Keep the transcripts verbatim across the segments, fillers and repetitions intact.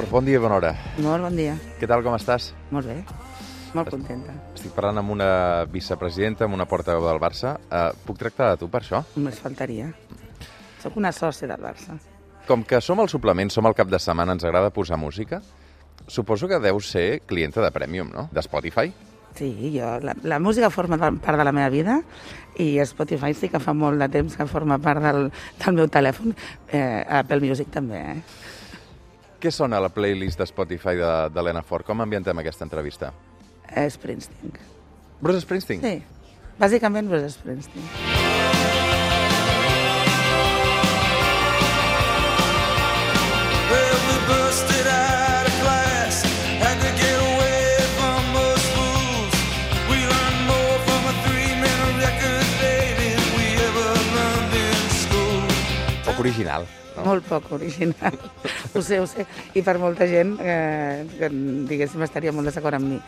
Bon dia i bona hora. Molt bon dia. Què tal, com estàs? Molt bé, molt contenta. Estic parlant amb una vicepresidenta, amb una portaveu del Barça. Uh, puc tractar de tu per això? Només faltaria. Soc una sòcia del Barça. Com que som al suplement, som al cap de setmana, ens agrada posar música, suposo que deus ser clienta de Premium, no? De Spotify? Sí, jo, la, la música forma part de la meva vida i Spotify sí que fa molt de temps que forma part del, del meu telèfon. Eh, Apple Music també, eh? Què sona a la playlist de Spotify de, de l'Helena Fort? Com ambientem aquesta entrevista? Eh, Springsteen. Bruce Springsteen? Sí, bàsicament Bruce Springsteen. Poc original, no? Molt poc original. Ho sé, ho sé. I per molta gent, eh, que diguéssim, estaria molt desacord amb mi.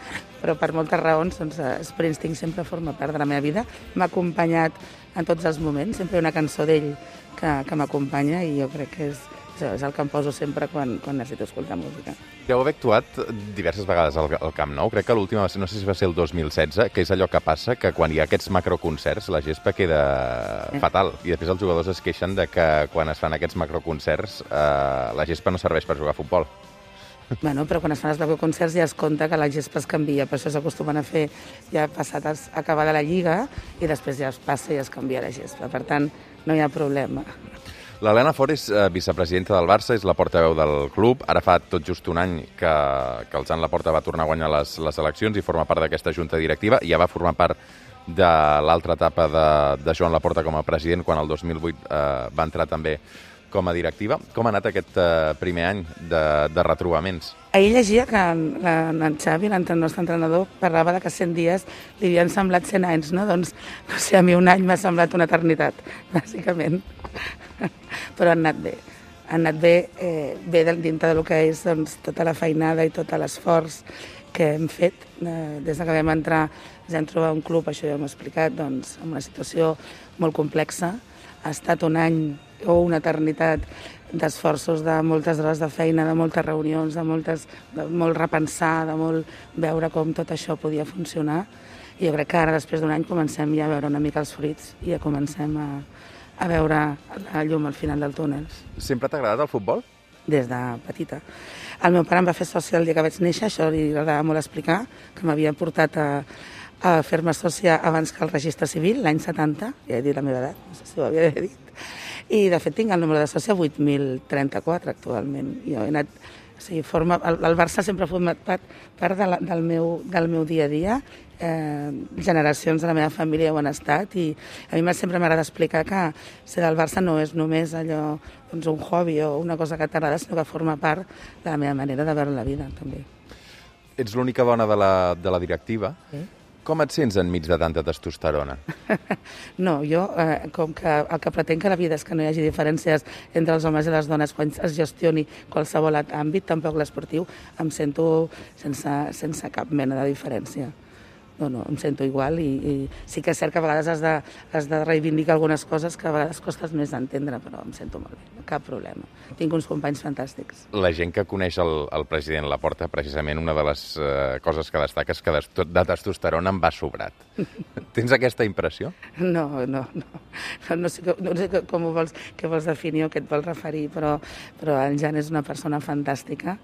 Però per moltes raons, doncs, Springsteen sempre forma part de la meva vida. M'ha acompanyat en tots els moments. Sempre hi ha una cançó d'ell que, que m'acompanya i jo crec que és, és el que em poso sempre quan, quan necessito escoltar música. Deu haver actuat diverses vegades al, al Camp Nou. Crec que l'última, no sé si va ser el dos mil setze, que és allò que passa, que quan hi ha aquests macroconcerts la gespa queda eh. fatal. I després els jugadors es queixen de que quan es fan aquests macroconcerts eh, la gespa no serveix per jugar a futbol. Bueno, però quan es fan els macroconcerts ja es compta que la gespa es canvia, per això s'acostumen a fer ja passat a acabar de la Lliga i després ja es passa i es canvia la gespa. Per tant, no hi ha problema. L'Helena Fort és eh, vicepresidenta del Barça, és la portaveu del club. Ara fa tot just un any que, que el Jan Laporta va tornar a guanyar les, les eleccions i forma part d'aquesta junta directiva. I ja va formar part de l'altra etapa de, de Joan Laporta com a president, quan el dos mil vuit eh, va entrar també com a directiva. Com ha anat aquest eh, primer any de, de retrobaments? Ahir llegia que la, en Xavi, el nostre entrenador, parlava de que cent dies li havien semblat cent anys, no? Doncs, no sé, a mi un any m'ha semblat una eternitat, bàsicament. Però han anat bé. Han anat bé, eh, bé dintre del que és doncs, tota la feinada i tot l'esforç que hem fet. Eh, des que vam entrar, ens hem trobat un club, això ja m'ho he explicat, doncs, en una situació molt complexa. Ha estat un any o una eternitat d'esforços, de moltes hores de feina, de moltes reunions, de, moltes, de molt repensar, de molt veure com tot això podia funcionar. I jo crec que ara, després d'un any, comencem ja a veure una mica els fruits i ja comencem a, a veure la llum al final del túnel. Sempre t'ha agradat el futbol? Des de petita. El meu pare em va fer sòcia el dia que vaig néixer, això li agradava molt explicar, que m'havia portat a, a fer-me sòcia abans que el registre civil, l'any setanta, ja he dit la meva edat, no sé si ho havia dit, i de fet tinc el número de sòcia vuit mil trenta-quatre actualment. Jo he anat, o sigui, forma, el, el Barça sempre ha format part, part de la, del, meu, del meu dia a dia, eh, generacions de la meva família ho han estat i a mi sempre m'agrada explicar que ser del Barça no és només allò, doncs, un hobby o una cosa que t'agrada, sinó que forma part de la meva manera de veure la vida, també. Ets l'única dona de la, de la directiva. Sí. Com et sents enmig de tanta testosterona? No, jo, eh, com que el que pretenc que la vida és que no hi hagi diferències entre els homes i les dones quan es gestioni qualsevol àmbit, tampoc l'esportiu, em sento sense, sense cap mena de diferència. No, no, em sento igual i, i sí que és cert que a vegades has de, has de reivindicar algunes coses que a vegades costes més d'entendre, però em sento molt bé, cap problema. Tinc uns companys fantàstics. La gent que coneix el, el president Laporta, precisament una de les eh, coses que destaca és que de, de testosterona en va sobrat. Tens aquesta impressió? No, no, no. No sé, no sé com ho vols, què vols definir o què et vols referir, però, però en Jan és una persona fantàstica.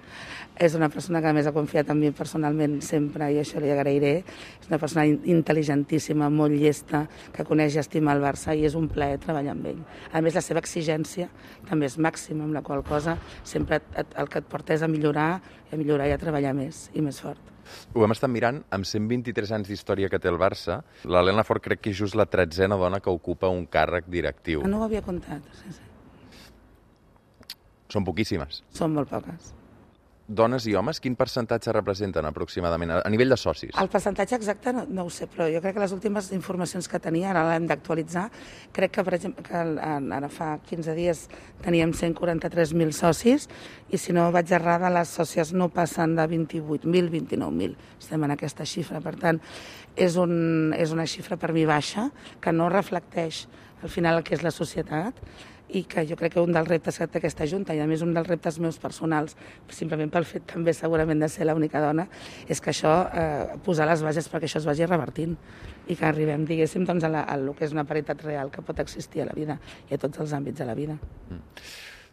És una persona que a més ha confiat en mi personalment sempre i això li agrairé. És una persona intel·ligentíssima, molt llesta, que coneix i estima el Barça i és un plaer treballar amb ell. A més, la seva exigència també és màxima, amb la qual cosa sempre et, el que et porta és a millorar, a millorar i a treballar més i més fort. Ho hem estat mirant, amb cent vint-i-tres anys d'història que té el Barça, l'Helena Fort crec que és just la tretzena dona que ocupa un càrrec directiu. No ho havia comptat, sí, sí. Són poquíssimes. Són molt poques. Dones i homes, quin percentatge representen aproximadament a nivell de socis? El percentatge exacte no, no ho sé, però jo crec que les últimes informacions que tenia, ara l'hem d'actualitzar, crec que, per exemple, que ara fa quinze dies teníem cent quaranta-tres mil socis i si no vaig errada, les sòcies no passen de vint-i-vuit mil, vint-i-nou mil. Estem en aquesta xifra, per tant, és, un, és una xifra per mi baixa que no reflecteix al final el que és la societat i que jo crec que un dels reptes que té aquesta Junta, i a més un dels reptes meus personals, simplement pel fet també segurament de ser l'única dona, és que això, eh, posar les bases perquè això es vagi revertint i que arribem, diguéssim, doncs, a, la, a lo que és una paritat real que pot existir a la vida i a tots els àmbits de la vida. Mm.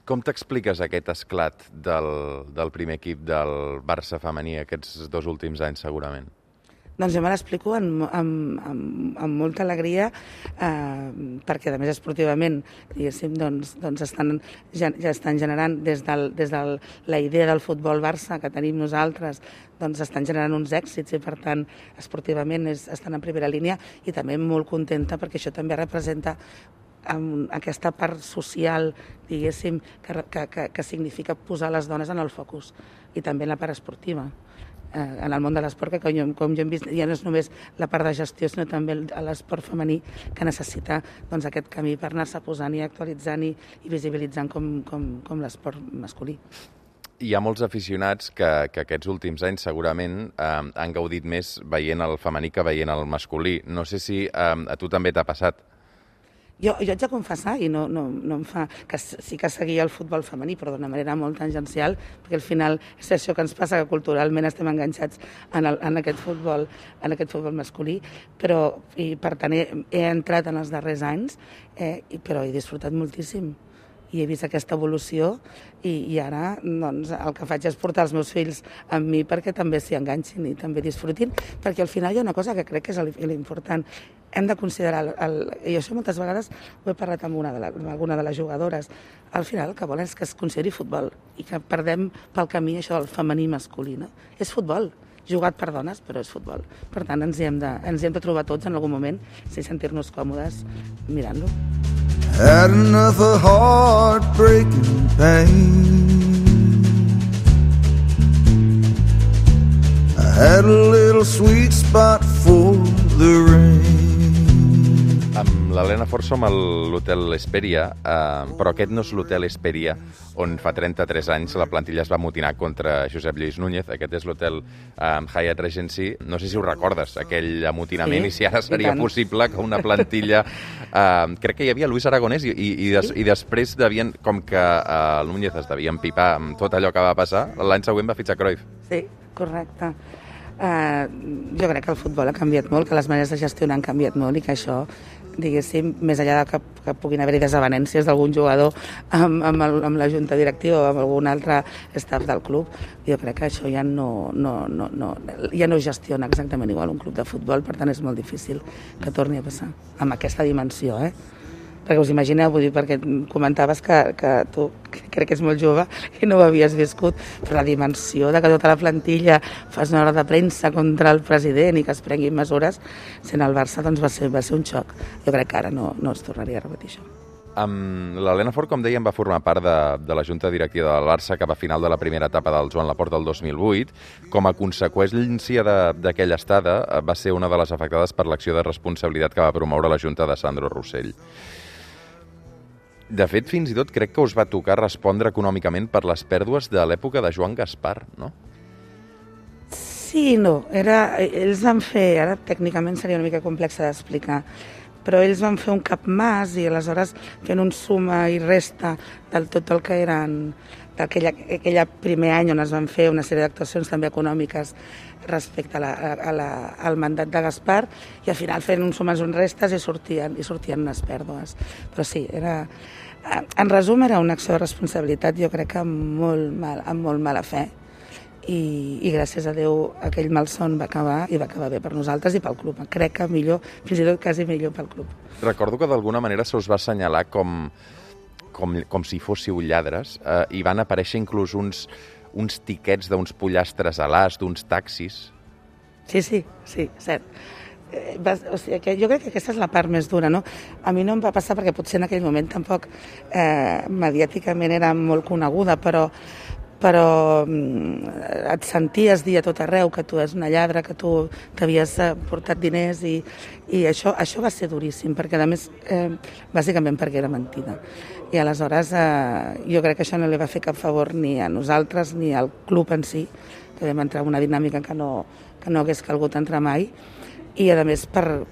Com t'expliques aquest esclat del, del primer equip del Barça femení aquests dos últims anys, segurament? Doncs jo me l'explico amb, amb, amb, amb molta alegria, eh, perquè, a més, esportivament, diguéssim, doncs, doncs estan, ja, ja estan generant, des de des del, la idea del futbol Barça que tenim nosaltres, doncs estan generant uns èxits i, per tant, esportivament és, estan en primera línia, i també molt contenta perquè això també representa amb aquesta part social, diguéssim, que, que, que, que significa posar les dones en el focus, i també en la part esportiva. Eh, en el món de l'esport, que com, com jo hem vist, ja no és només la part de gestió, sinó també l'esport femení, que necessita doncs, aquest camí per anar-se posant i actualitzant i, i visibilitzant com, com, com l'esport masculí. Hi ha molts aficionats que, que aquests últims anys segurament eh, han gaudit més veient el femení que veient el masculí. No sé si eh, a tu també t'ha passat. Jo, jo haig de confessar, i no, no, no em fa, que sí que seguia el futbol femení, però d'una manera molt tangencial, perquè al final és això que ens passa, que culturalment estem enganxats en, el, en, aquest, futbol, en aquest futbol masculí, però, i per tant he, he entrat en els darrers anys, eh, però he disfrutat moltíssim. I he vist aquesta evolució i, i ara doncs, el que faig és portar els meus fills amb mi perquè també s'hi enganxin i també disfrutin, perquè al final hi ha una cosa que crec que és l'important. Hem de considerar, el, el, i això moltes vegades ho he parlat amb, una de la, amb alguna de les jugadores, al final el que volen és que es consideri futbol i que perdem pel camí això del femení masculí. No? És futbol, jugat per dones, però és futbol. Per tant, ens hi hem de, ens hi hem de trobar tots en algun moment, si sentir-nos còmodes mirant-lo. Had another heartbreaking pain. I had a little sweet spot for the rain. Amb l'Helena Fort som a l'Hotel Hesperia, eh, però aquest no és l'Hotel Hesperia on fa trenta-tres anys la plantilla es va amotinar contra Josep Lluís Núñez. Aquest és l'Hotel eh, Hyatt Regency. No sé si ho recordes, aquell amotinament, sí, i si ara seria possible que una plantilla... Eh, crec que hi havia Luis Aragonès i, i, i, des, sí. i després devien, com que eh, el Núñez es devia empipar amb tot allò que va passar, l'any següent va fitxar Cruyff. Sí, correcte. Uh, jo crec que el futbol ha canviat molt, que les maneres de gestionar han canviat molt i que això, diguéssim, més enllà de que, que puguin haver-hi desavenències d'algun jugador amb, amb, el, amb la junta directiva o amb algun altre staff del club, jo crec que això ja no, no, no, no, ja no gestiona exactament igual un club de futbol, per tant és molt difícil que torni a passar amb aquesta dimensió, eh? Perquè us imagineu, vull dir, perquè comentaves que, que tu crec que ets molt jove i no ho havies viscut, però la dimensió de que tota la plantilla fas una hora de premsa contra el president i que es prenguin mesures, sent el Barça, doncs va ser, va ser un xoc. Jo crec que ara no, no es tornaria a repetir això. Um, L'Helena Fort, com dèiem, va formar part de, de la junta directiva del Barça cap a final de la primera etapa del Joan Laporta del dos mil vuit. Com a conseqüència d'aquella estada, va ser una de les afectades per l'acció de responsabilitat que va promoure la junta de Sandro Rossell. De fet, fins i tot crec que us va tocar respondre econòmicament per les pèrdues de l'època de Joan Gaspar, no? Sí, no. Era, ells van fer, ara tècnicament seria una mica complexa d'explicar, però ells van fer un capmàs i aleshores fent un suma i resta del tot el que eren d'aquell primer any on es van fer una sèrie d'actuacions també econòmiques respecte a la, a la, al mandat de Gaspar, i al final fent un sumes i un restes i sortien, i sortien unes pèrdues. Però sí, era, en resum era una acció de responsabilitat, jo crec que amb molt, mal, amb molt mala fe, i, i gràcies a Déu aquell malson va acabar i va acabar bé per nosaltres i pel club. Crec que millor, fins i tot quasi millor pel club. Recordo que d'alguna manera se us va assenyalar com, com, com si fóssiu lladres, eh, i van aparèixer inclús uns, uns tiquets d'uns pollastres a l'as, d'uns taxis. Sí, sí, sí, cert. Eh, va, o sigui, que jo crec que aquesta és la part més dura, no? A mi no em va passar perquè potser en aquell moment tampoc eh, mediàticament era molt coneguda, però però et senties dir a tot arreu que tu és una lladra, que tu t'havies portat diners, i, i això, això va ser duríssim, perquè a més, eh, bàsicament perquè era mentida. I aleshores eh, jo crec que això no li va fer cap favor ni a nosaltres ni al club en si, que vam entrar en una dinàmica que no, que no hagués calgut entrar mai, i a més per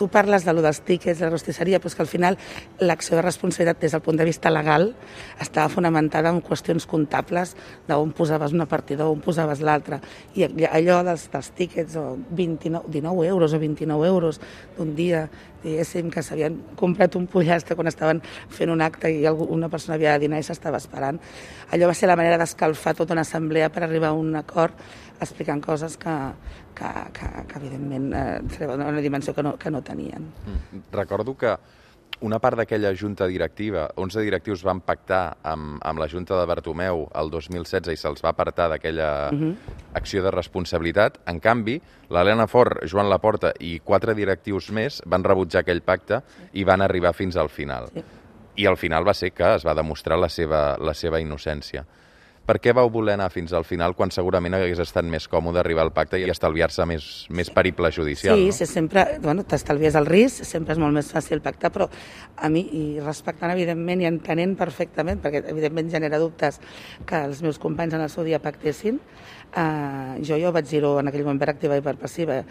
tu parles de lo dels tíquets, de la rostisseria, però és que al final l'acció de responsabilitat des del punt de vista legal estava fonamentada en qüestions comptables d'on posaves una partida, on posaves l'altra. I allò dels, dels tíquets, o vint-i-nou, dinou euros o vint-i-nou euros d'un dia, diguéssim, que s'havien comprat un pollastre quan estaven fent un acte i una persona havia de dinar i s'estava esperant. Allò va ser la manera d'escalfar tota una assemblea per arribar a un acord explicant coses que, que, que, que evidentment, eh, treuen una dimensió que no, que no tenien. Mm. Recordo que una part d'aquella junta directiva, onze directius van pactar amb, amb la junta de Bartomeu el dos mil setze i se'ls va apartar d'aquella uh-huh. acció de responsabilitat. En canvi, l'Helena Fort, Joan Laporta i quatre directius més van rebutjar aquell pacte i van arribar fins al final. Sí. I al final va ser que es va demostrar la seva, la seva innocència. Per què vau voler anar fins al final quan segurament hagués estat més còmode arribar al pacte i estalviar-se més, més periple judicial? Sí, no? sí, sempre, bueno, t'estalvies el risc, sempre és molt més fàcil pactar, però a mi, i respectant evidentment i entenent perfectament, perquè evidentment genera dubtes que els meus companys en el seu dia pactessin, eh, jo ja ho vaig dir-ho en aquell moment per activa i per passiva.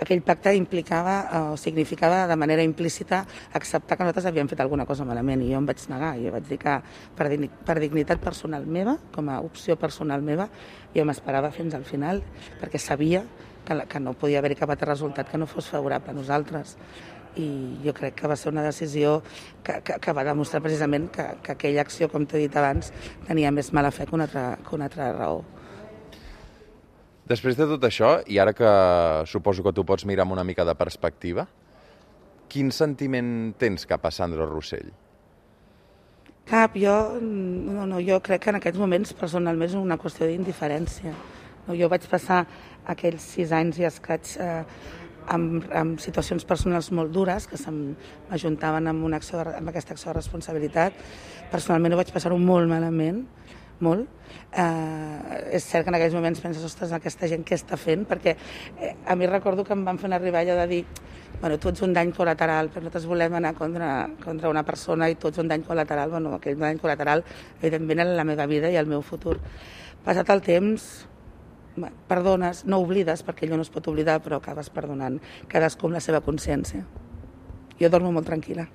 Aquell pacte implicava o significava de manera implícita acceptar que nosaltres havíem fet alguna cosa malament i jo em vaig negar. Jo vaig dir que per, per dignitat personal meva, com a opció personal meva, jo m'esperava fins al final perquè sabia que, que no podia haver-hi cap altre resultat que no fos favorable a nosaltres. I jo crec que va ser una decisió que, que, que va demostrar precisament que, que aquella acció, com t'he dit abans, tenia més mala fe que una altra, que una altra raó. Després de tot això, i ara que suposo que tu pots mirar amb una mica de perspectiva, quin sentiment tens cap a Sandra Rossell? Cap, jo, no, no, jo crec que en aquests moments personalment és una qüestió d'indiferència. No, jo vaig passar aquells sis anys i escaig eh, amb, amb situacions personals molt dures que m'ajuntaven amb, una acció de, amb aquesta acció de responsabilitat. Personalment ho vaig passar-ho molt malament, molt. Eh, és cert que en aquells moments penses, ostres, aquesta gent què està fent? Perquè eh, a mi recordo que em van fer arribar allò de dir, bueno, tu ets un dany col·lateral, però nosaltres volem anar contra, contra una persona i tu ets un dany col·lateral. Bueno, aquell dany col·lateral, evidentment, era la meva vida i el meu futur. Passat el temps, perdones, no oblides, perquè allò no es pot oblidar, però acabes perdonant cadascú amb la seva consciència. Jo dormo molt tranquil·la.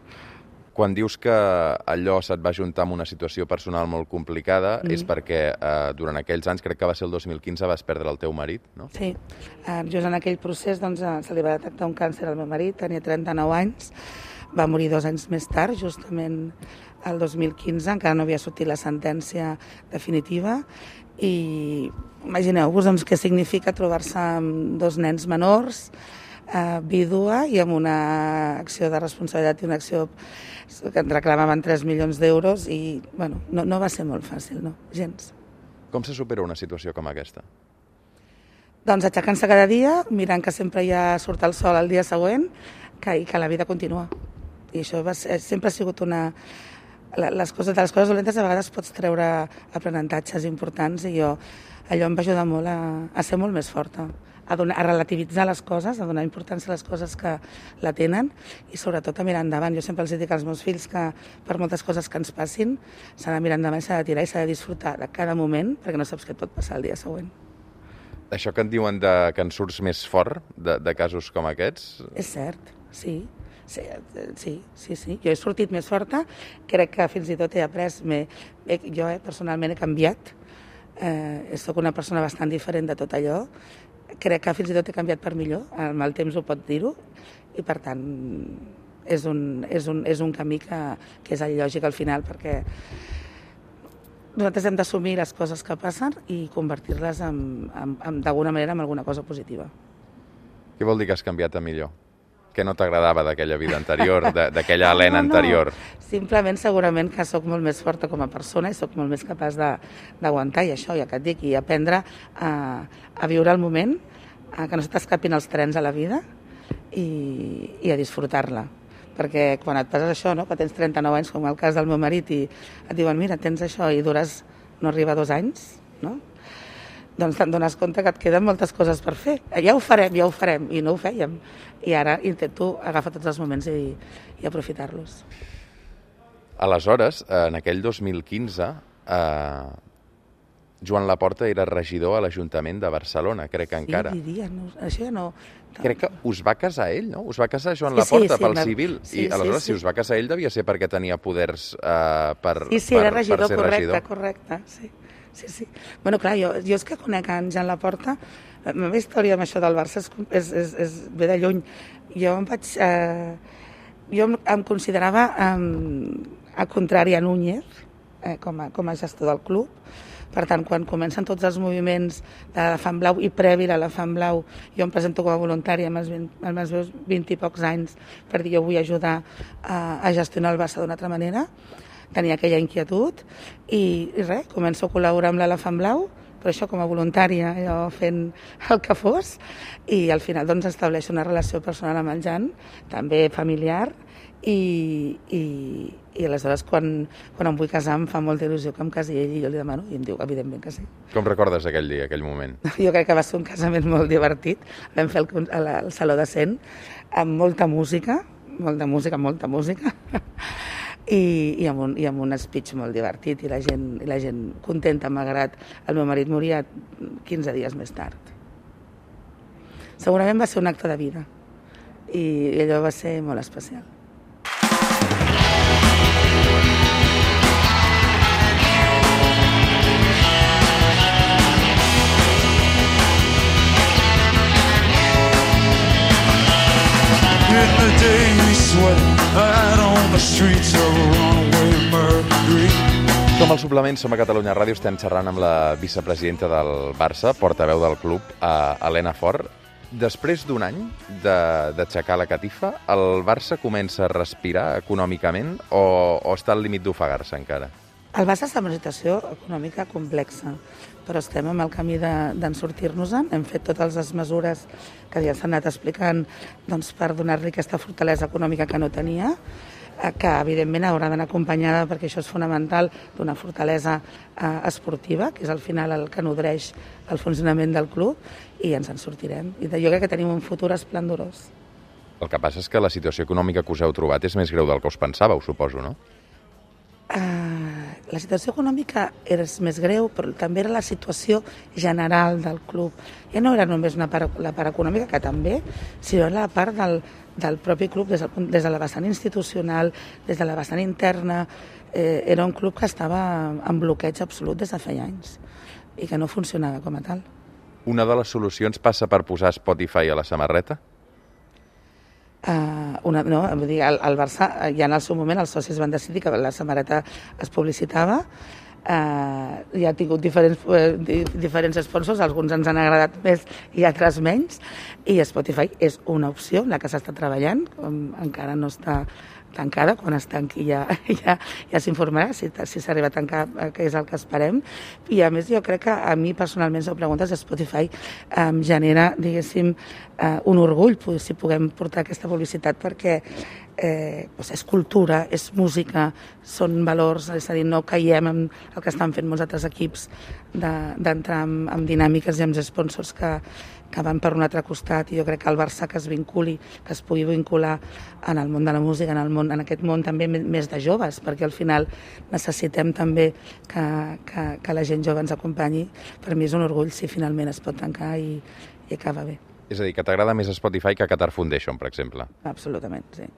Quan dius que allò se't va juntar amb una situació personal molt complicada, mm. és perquè eh, durant aquells anys, crec que va ser el dos mil quinze, vas perdre el teu marit, no? Sí, eh, just en aquell procés doncs, se li va detectar un càncer al meu marit, tenia trenta-nou anys, va morir dos anys més tard, justament el dos mil quinze, encara no havia sortit la sentència definitiva, i imagineu-vos doncs, què significa trobar-se amb dos nens menors, eh, vídua, i amb una acció de responsabilitat i una acció que ens reclamaven tres milions d'euros i bueno, no, no va ser molt fàcil, no, gens. Com se supera una situació com aquesta? Doncs aixecant-se cada dia, mirant que sempre ja surt el sol el dia següent que, i que la vida continua. I això va ser, sempre ha sigut una... Les coses, de les coses dolentes a vegades pots treure aprenentatges importants i jo, allò em va ajudar molt a, a ser molt més forta. A, donar, a relativitzar les coses, a donar importància a les coses que la tenen i sobretot a mirar endavant. Jo sempre els dic als meus fills que per moltes coses que ens passin s'ha de mirar endavant, s'ha de tirar i s'ha de disfrutar de cada moment perquè no saps què et pot passar el dia següent. Això que en diuen de, que en surts més fort de, de casos com aquests? És cert, sí. Sí, sí, sí, sí. Jo he sortit més forta, crec que fins i tot he après, he, jo eh, personalment he canviat, eh, soc una persona bastant diferent de tot allò, crec que fins i tot he canviat per millor, amb el temps ho pot dir-ho, i per tant és un, és un, és un camí que, que és el lògic al final, perquè nosaltres hem d'assumir les coses que passen i convertir-les d'alguna manera en alguna cosa positiva. Què vol dir que has canviat a millor? Què no t'agradava d'aquella vida anterior, d'aquella Helena no, no. anterior? Simplement, segurament que sóc molt més forta com a persona i sóc molt més capaç d'aguantar, i això, ja que et dic, i aprendre a, a viure el moment, a que no se t'escapin els trens a la vida i, i a disfrutar-la. Perquè quan et passes això, no, que tens trenta-nou anys, com el cas del meu marit, i et diuen, mira, tens això i dures, no arriba a dos anys, no? Doncs te'n dones compte que et queden moltes coses per fer. Ja ho farem, ja ho farem, i no ho fèiem. I ara intento agafar tots els moments i, i aprofitar-los. Aleshores, en aquell dos mil quinze, eh, Joan Laporta era regidor a l'Ajuntament de Barcelona, crec que encara. Sí, diria, no, això ja no... Crec que us va casar ell, no? Us va casar Joan Sí, Laporta sí, sí, pel va- civil. sí, I aleshores, sí, sí. si us va casar ell, devia ser perquè tenia poders eh, per, Sí, sí, per, era regidor, per ser correcte, regidor. correcte, sí. Sí, sí. Bueno, clar, jo, jo és que conec en Joan Laporta, la meva història amb això del Barça és, és, és, és ve de lluny. Jo em vaig... Eh, jo em, em considerava eh, a contrari a Núñez, eh, com, a, com a gestor del club. Per tant, quan comencen tots els moviments de l'Elefant Blau i previ a l'Elefant Blau, jo em presento com a voluntària amb els, vint, amb els meus vint i pocs anys per dir jo vull ajudar a, a gestionar el Barça d'una altra manera. Tenia aquella inquietud i, i res, començo a col·laborar amb l'Elefant Blau, però això com a voluntària, jo fent el que fos, i al final doncs estableixo una relació personal amb el Jan, també familiar, i, i, i aleshores quan, quan em vull casar em fa molta il·lusió que em casi ell i jo li demano i em diu evidentment que sí. Com recordes aquell dia, aquell moment? Jo crec que va ser un casament molt divertit, vam fer el, el, el Saló de Cent amb molta música, molta música, molta música, i, i, amb un, i amb un speech molt divertit i la gent, i la gent contenta, malgrat el meu marit moria quinze dies més tard. Segurament va ser un acte de vida i allò va ser molt especial. In the day we sweat out on the streets of runaway Mercury. Som al suplement, som a Catalunya Ràdio, estem xerrant amb la vicepresidenta del Barça, portaveu del club, a Elena Fort. Després d'un any d'aixecar la catifa, el Barça comença a respirar econòmicament o, o està al límit d'ofegar-se encara? El Barça està en una situació econòmica complexa, però estem en el camí d'en sortir-nos-en. Hem fet totes les mesures que ja s'han anat explicant doncs, per donar-li aquesta fortalesa econòmica que no tenia, que evidentment haurà d'anar acompanyada, perquè això és fonamental, d'una fortalesa eh, esportiva, que és al final el que nodreix el funcionament del club, i ens en sortirem. I jo crec que tenim un futur esplendorós. El que passa és que la situació econòmica que us heu trobat és més greu del que us pensàveu, suposo, no? Uh, la situació econòmica és més greu, però també era la situació general del club. Ja no era només una part, la part econòmica, que també, sinó la part del, del propi club, des, del, des de la vessant institucional, des de la vessant interna. Eh, era un club que estava en bloqueig absolut des de feia anys i que no funcionava com a tal. Una de les solucions passa per posar Spotify a la samarreta? Uh, una, no, vull dir, el, el Barça, ja en el seu moment els socis van decidir que la samarreta es publicitava, uh, ja ha tingut diferents, uh, diferents sponsors, alguns ens han agradat més i altres menys, i Spotify és una opció, la que s'està treballant, com encara no està tancada, quan es tanqui ja, ja, ja s'informarà si, si s'arriba a tancar, que és el que esperem. I a més jo crec que a mi personalment, si ho preguntes, Spotify em genera, diguéssim, eh, un orgull si puguem portar aquesta publicitat, perquè eh, doncs és cultura, és música, són valors, és a dir, no caiem en el que estan fent molts altres equips d'entrar en, en dinàmiques i amb sponsors que, que van per un altre costat, i jo crec que el Barça que es vinculi, que es pugui vincular en el món de la música, en, el món, en aquest món també més de joves, perquè al final necessitem també que, que, que la gent jove ens acompanyi. Per mi és un orgull si finalment es pot tancar i, i acaba bé. És a dir, que t'agrada més Spotify que Qatar Foundation, per exemple? Absolutament, sí.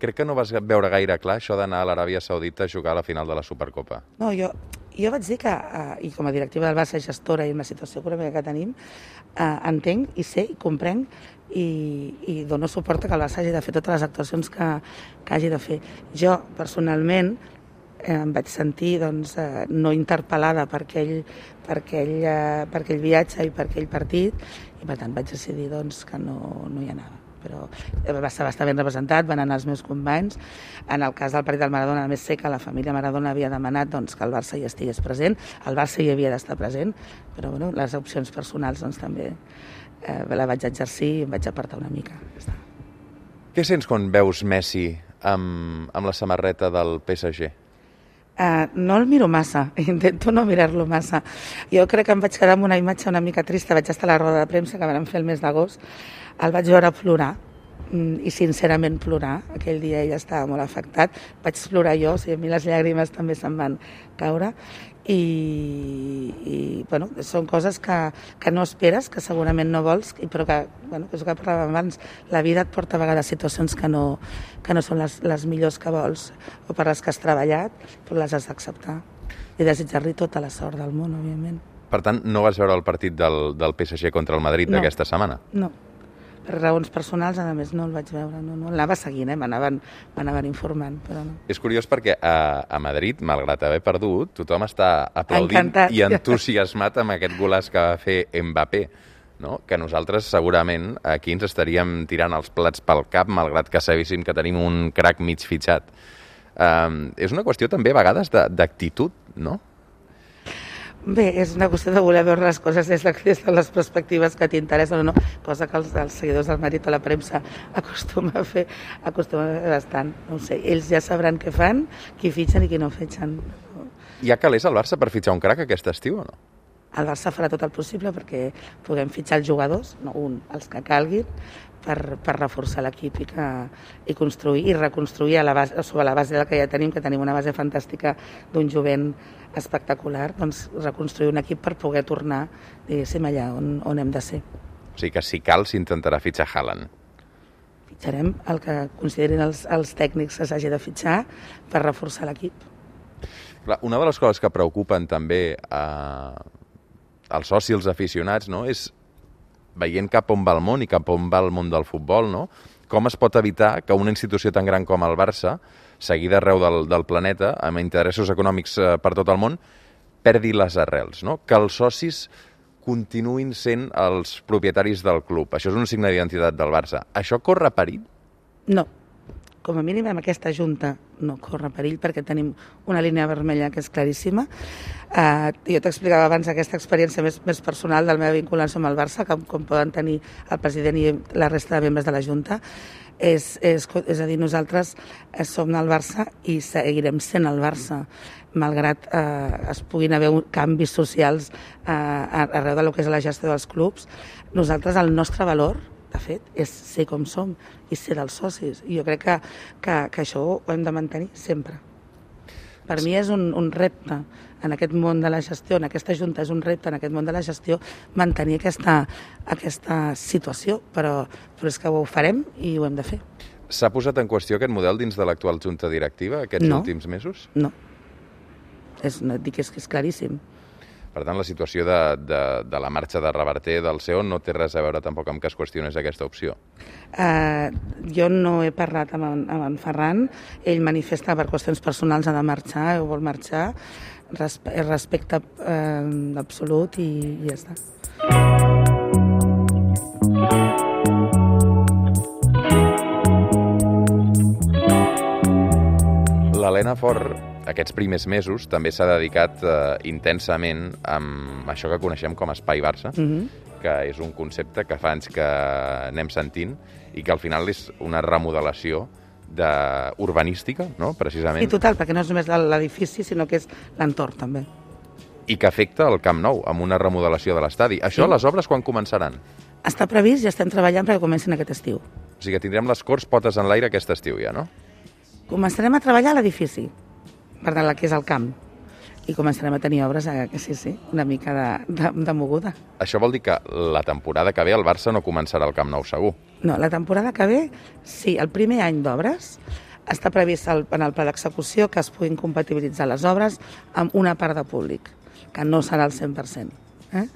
Crec que no vas veure gaire clar això d'anar a l'Aràbia Saudita a jugar a la final de la Supercopa. No, jo, jo vaig dir que, eh, i com a directiva del Barça gestora i amb la situació econòmica que tenim, eh, entenc i sé i comprenc i, i dono suport que el Barça hagi de fer totes les actuacions que, que hagi de fer. Jo, personalment, eh, em vaig sentir doncs, eh, no interpel·lada per aquell, per, aquell, eh, per aquell viatge i per aquell partit, i per tant vaig decidir doncs, que no, no hi anava. Però va estar, va estar ben representat, van anar els meus companys. En el cas del partit del Maradona, més sé que la família Maradona havia demanat doncs, que el Barça hi estigués present, el Barça hi havia d'estar present, però bueno, les opcions personals doncs, també eh, la vaig exercir i em vaig apartar una mica. Què sents quan veus Messi amb, amb la samarreta del P S G? Uh, no el miro massa, intento no mirar-lo massa. Jo crec que em vaig quedar amb una imatge una mica trista, vaig estar a la roda de premsa que vam fer el mes d'agost, el vaig veure plorar, i sincerament plorar. Aquell dia ell estava molt afectat. Vaig plorar jo, o sigui, a mi les llàgrimes també se'n van caure. I, i bueno, són coses que, que no esperes, que segurament no vols, però que, bueno, que és el que parlàvem abans, la vida et porta a vegades situacions que no, que no són les, les millors que vols o per les que has treballat, però les has d'acceptar i desitjar-li tota la sort del món, òbviament. Per tant, no vas veure el partit del, del P S G contra el Madrid no, d'aquesta setmana? No. Per raons personals, a més, no el vaig veure. No, no. L'anava seguint, eh? m'anaven informant, però no. És curiós perquè a, a Madrid, malgrat haver perdut, tothom està aplaudint Encantat. I entusiasmat amb aquest golaç que va fer Mbappé, no? Que nosaltres segurament aquí ens estaríem tirant els plats pel cap, malgrat que sabéssim que tenim un crac mig fitxat. Um, és una qüestió també a vegades d'actitud, no? Bé, és una qüestió de voler veure les coses des de, des de les perspectives que t'interessen o no, cosa que els, els seguidors del Madrid o la premsa acostuma a fer, acostuma a fer bastant. No ho sé, ells ja sabran què fan, qui fitxen i qui no fitxen. Hi ha calés al Barça per fitxar un crac aquest estiu o no? El Barça farà tot el possible perquè puguem fitxar els jugadors, no un, els que calguin, per, per reforçar l'equip i, que, i construir i reconstruir a la base, sobre la base del que ja tenim, que tenim una base fantàstica d'un jovent espectacular, doncs reconstruir un equip per poder tornar, diguéssim, allà on, on hem de ser. O sigui que si cal s'intentarà fitxar Haaland. Fitxarem el que considerin els, els tècnics que s'hagi de fitxar per reforçar l'equip. Una de les coses que preocupen també eh, els socis, els aficionats, no? És veient cap on va el món i cap on va el món del futbol, no? Com es pot evitar que una institució tan gran com el Barça, seguida arreu del, del planeta, amb interessos econòmics eh, per tot el món, perdi les arrels, no? Que els socis continuïn sent els propietaris del club. Això és un signe d'identitat del Barça. Això corre perill? No. Com a mínim, amb aquesta junta no corre perill perquè tenim una línia vermella que és claríssima. Uh, jo t'explicava abans aquesta experiència més, més personal de la meva vinculació amb el Barça, com, com poden tenir el president i la resta de membres de la junta. És, és, és a dir, nosaltres som el Barça i seguirem sent el Barça, malgrat eh, es puguin haver canvis socials eh, arreu de lo que és la gestió dels clubs. Nosaltres, el nostre valor, de fet, és ser com som i ser dels socis. I jo crec que, que, que això ho hem de mantenir sempre. Per mi és un, un repte en aquest món de la gestió, en aquesta junta és un repte en aquest món de la gestió, mantenir aquesta, aquesta situació, però, però és que ho farem i ho hem de fer. S'ha posat en qüestió aquest model dins de l'actual junta directiva aquests no. últims mesos? No. És, no et dic que és, que és claríssim. Per tant, la situació de, de, de la marxa de Reverter del C E O no té res a veure tampoc amb que es qüestionés aquesta opció. Uh, jo no he parlat amb en, amb en Ferran. Ell manifesta per qüestions personals ha de marxar o vol marxar. Respe respecte uh, absolut i, i ja està. L'Helena Fort, aquests primers mesos, també s'ha dedicat eh, intensament amb això que coneixem com Espai Barça, mm-hmm. que és un concepte que fa anys que anem sentint i que al final és una remodelació de... urbanística, no? Precisament. I total, perquè no és només l'edifici, sinó que és l'entorn, també. I que afecta el Camp Nou, amb una remodelació de l'estadi. Això, sí. Les obres, quan començaran? Està previst i estem treballant perquè comencin aquest estiu. O sigui que tindrem les Corts potes en l'aire aquest estiu ja, no? Començarem a treballar a l'edifici, per tant, que és el camp, i començarem a tenir obres, eh, sí, sí, una mica de, de, de moguda. Això vol dir que la temporada que ve el Barça no començarà al Camp Nou segur? No, la temporada que ve, sí, el primer any d'obres està previst el, en el pla d'execució que es puguin compatibilitzar les obres amb una part de públic, que no serà el cent per cent. Eh?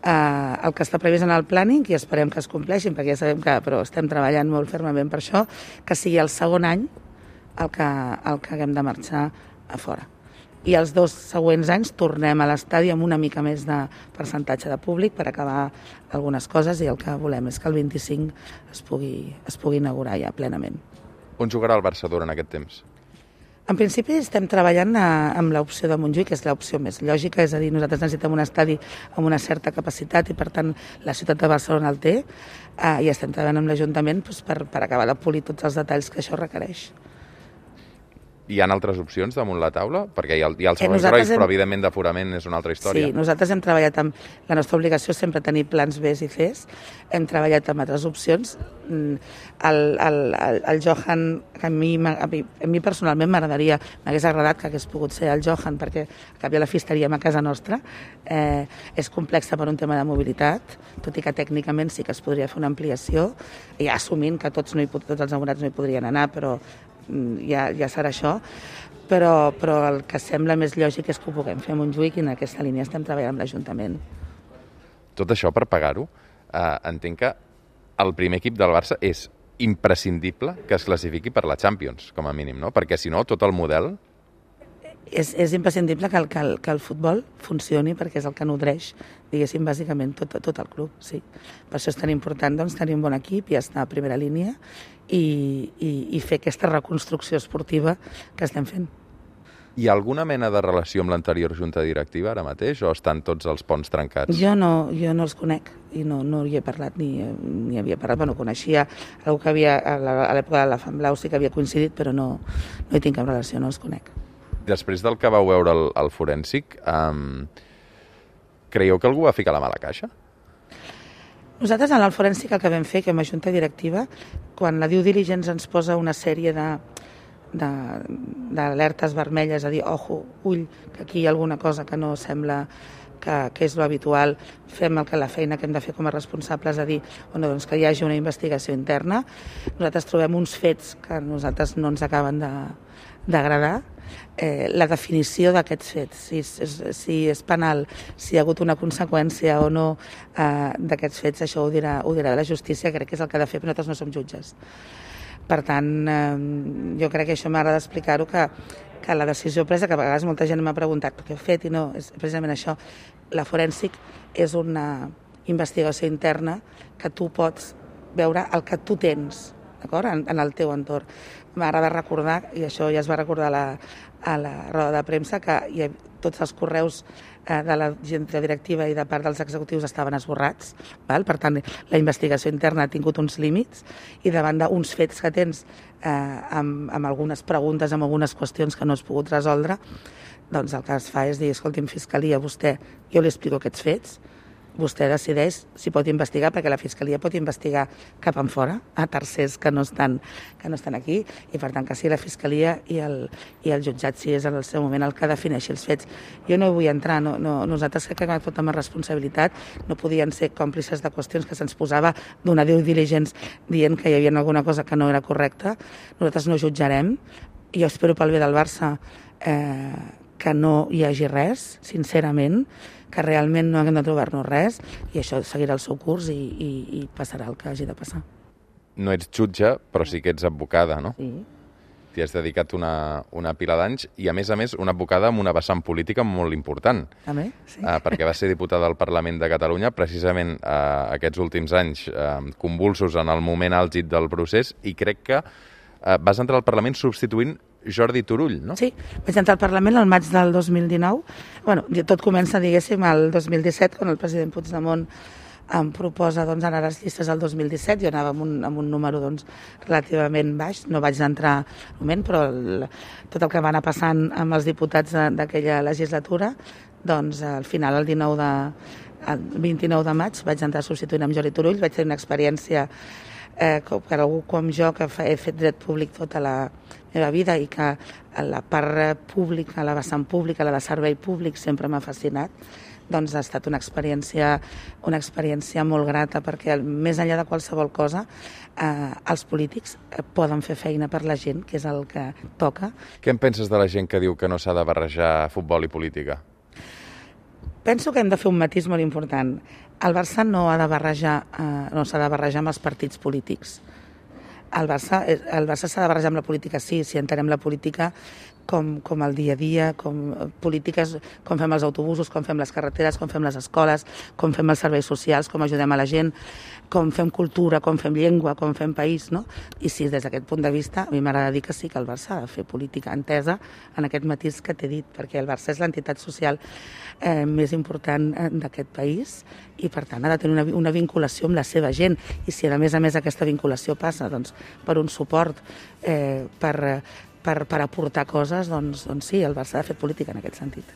Uh, el que està previst en el planning, i esperem que es compleixin, perquè ja sabem que però estem treballant molt fermament per això, que sigui el segon any el que, el que haguem de marxar a fora. I els dos següents anys tornem a l'estadi amb una mica més de percentatge de públic per acabar algunes coses i el que volem és que el vint-i-cinc es pugui, es pugui inaugurar ja plenament. On jugarà el Barça durant aquest temps? En principi estem treballant a, amb l'opció de Montjuïc, que és l'opció més lògica, és a dir, nosaltres necessitem un estadi amb una certa capacitat i per tant la ciutat de Barcelona el té eh, i estem treballant amb l'Ajuntament doncs, per, per acabar de polir tots els detalls que això requereix. Hi ha altres opcions damunt la taula? Perquè hi ha, hi ha els Eh, segons nosaltres rois, hem- però evidentment d'aforament és una altra història. Sí, nosaltres hem treballat amb... La nostra obligació és sempre tenir plans B i Cs. Hem treballat amb altres opcions. Mm, El, el, el, el Johan, que a mi, m'a- a mi, a mi personalment m'agradaria, m'hagués agradat que hagués pogut ser el Johan, perquè a canvi la fistaríem a casa nostra. Eh, és complexa per un tema de mobilitat, tot i que tècnicament sí que es podria fer una ampliació, ja assumint que tots, no hi, pot- tots els abonats no hi podrien anar, però mm, ja, ja serà això. Però, però el que sembla més lògic és que ho puguem fer a Montjuïc i en aquesta línia estem treballant amb l'Ajuntament. Tot això per pagar-ho, eh, entenc que el primer equip del Barça és imprescindible que es classifiqui per la Champions, com a mínim, no? Perquè si no, tot el model... És, és imprescindible que el, que, el, que el futbol funcioni perquè és el que nodreix, diguéssim, bàsicament tot, tot el club, sí. Per això és tan important doncs, tenir un bon equip i estar a primera línia i, i, i fer aquesta reconstrucció esportiva que estem fent. Hi ha alguna mena de relació amb l'anterior junta directiva ara mateix o estan tots els ponts trencats? Jo no, jo no els conec i no, no hi he parlat ni, ni havia parlat, bueno, coneixia algú que havia, a la- a l'època de la Fan Blau sí que havia coincidit, però no, no hi tinc cap relació, no els conec. Després del que vau veure al, al forènsic, um, creieu que algú va ficar la mà a la caixa? Nosaltres en el forènsic el que vam fer, que amb la junta directiva, quan la due diligence ens posa una sèrie de de- d'alertes vermelles, a dir, ojo, ull, que aquí hi ha alguna cosa que no sembla que, que és lo habitual, fem el que la feina que hem de fer com a responsables, a dir, bueno, doncs que hi hagi una investigació interna. Nosaltres trobem uns fets que a nosaltres no ens acaben de- d'agradar. Eh, la definició d'aquests fets, si és, si és penal, si hi ha hagut una conseqüència o no eh, d'aquests fets, això ho dirà, ho dirà la justícia, crec que és el que ha de fer, però nosaltres no som jutges. Per tant, eh, jo crec que això m'agrada explicar-ho, que, que la decisió presa, que a vegades molta gent m'ha preguntat què he fet i no, és precisament això. La forènsic és una investigació interna que tu pots veure el que tu tens, d'acord? En, en el teu entorn. M'agrada recordar, i això ja es va recordar a la, a la roda de premsa, que hi ha, tots els correus eh, de la junta directiva i de part dels executius estaven esborrats, val? Per tant, la investigació interna ha tingut uns límits i davant d'uns fets que tens eh, amb, amb algunes preguntes, amb algunes qüestions que no has pogut resoldre, doncs el que es fa és dir, escolti'm, Fiscalia, vostè, jo li explico aquests fets, vostè decideix si pot investigar, perquè la Fiscalia pot investigar cap en fora, a tercers que no estan, que no estan aquí, i per tant que sigui la Fiscalia i el, i el jutjat, si és en el seu moment el que defineixi els fets. Jo no hi vull entrar, no, no, nosaltres crec que hem tot amb responsabilitat, no podien ser còmplices de qüestions que se'ns posava d'una due diligence dient que hi havia alguna cosa que no era correcta. Nosaltres no jutjarem, i jo espero pel bé del Barça eh, que no hi hagi res, sincerament, que realment no haguem de trobar-nos res, i això seguirà el seu curs i, i, i passarà el que hagi de passar. No ets jutge, però sí que ets advocada, no? Sí. T'hi has dedicat una, una pila d'anys i, a més a més, una advocada amb una vessant política molt important. També? Sí. Uh, perquè va ser diputada al Parlament de Catalunya precisament uh, aquests últims anys uh, convulsos en el moment àlgid del procés, i crec que uh, vas entrar al Parlament substituint Jordi Turull, no? Sí, vaig entrar al Parlament el maig del dos mil dinou. Bueno, tot comença, diguéssim, el dos mil disset, quan el president Puigdemont em proposa doncs, anar a les llistes el dos mil disset. Jo anava amb un, amb un número doncs, relativament baix, no vaig entrar al moment, però el, tot el que va anar passant amb els diputats d'aquella legislatura, doncs al final, el dinou de, el vint-i-nou de maig, vaig entrar substituint amb Jordi Turull. Vaig tenir una experiència eh, per algú com jo, que he fet dret públic tota la meva vida i que la part pública, la vessant pública, la de servei públic sempre m'ha fascinat, doncs ha estat una experiència, una experiència molt grata, perquè més enllà de qualsevol cosa, eh, els polítics poden fer feina per la gent, que és el que toca. Què en penses de la gent que diu que no s'ha de barrejar futbol i política? Penso que hem de fer un matís molt important. El Barça no ha de barrejar, eh, no s'ha de barrejar amb els partits polítics. El Barça, el Barça s'ha de barrejar amb la política, sí, si entenem la política com, com el dia a dia, com polítiques, com fem els autobusos, com fem les carreteres, com fem les escoles, com fem els serveis socials, com ajudem a la gent, com fem cultura, com fem llengua, com fem país, no? I sí, des d'aquest punt de vista, a mi m'agrada dir que sí, que el Barça ha de fer política entesa en aquest matís que t'he dit, perquè el Barça és l'entitat social eh, més important d'aquest país i, per tant, ha de tenir una, una vinculació amb la seva gent. I si, a més a més, aquesta vinculació passa doncs, per un suport, eh, per per, per aportar coses, doncs, doncs sí, el Barça ha fet política en aquest sentit.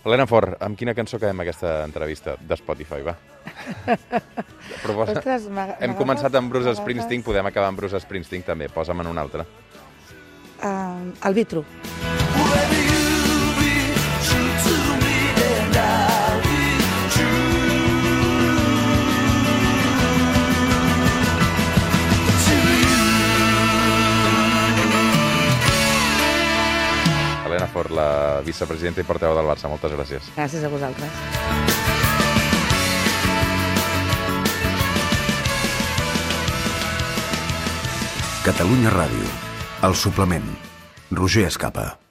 Helena Fort, amb quina cançó acabem aquesta entrevista de Spotify, va? Proposa... Ostres, Hem començat amb Bruce Springsteen, podem acabar amb Bruce Springsteen també, posa'm en una altra. Uh, el Vitro. Helena Fort, la vicepresidenta i portaveu del Barça, moltes gràcies. Gràcies a vosaltres. Catalunya Ràdio, El Suplement, Roger Escapa.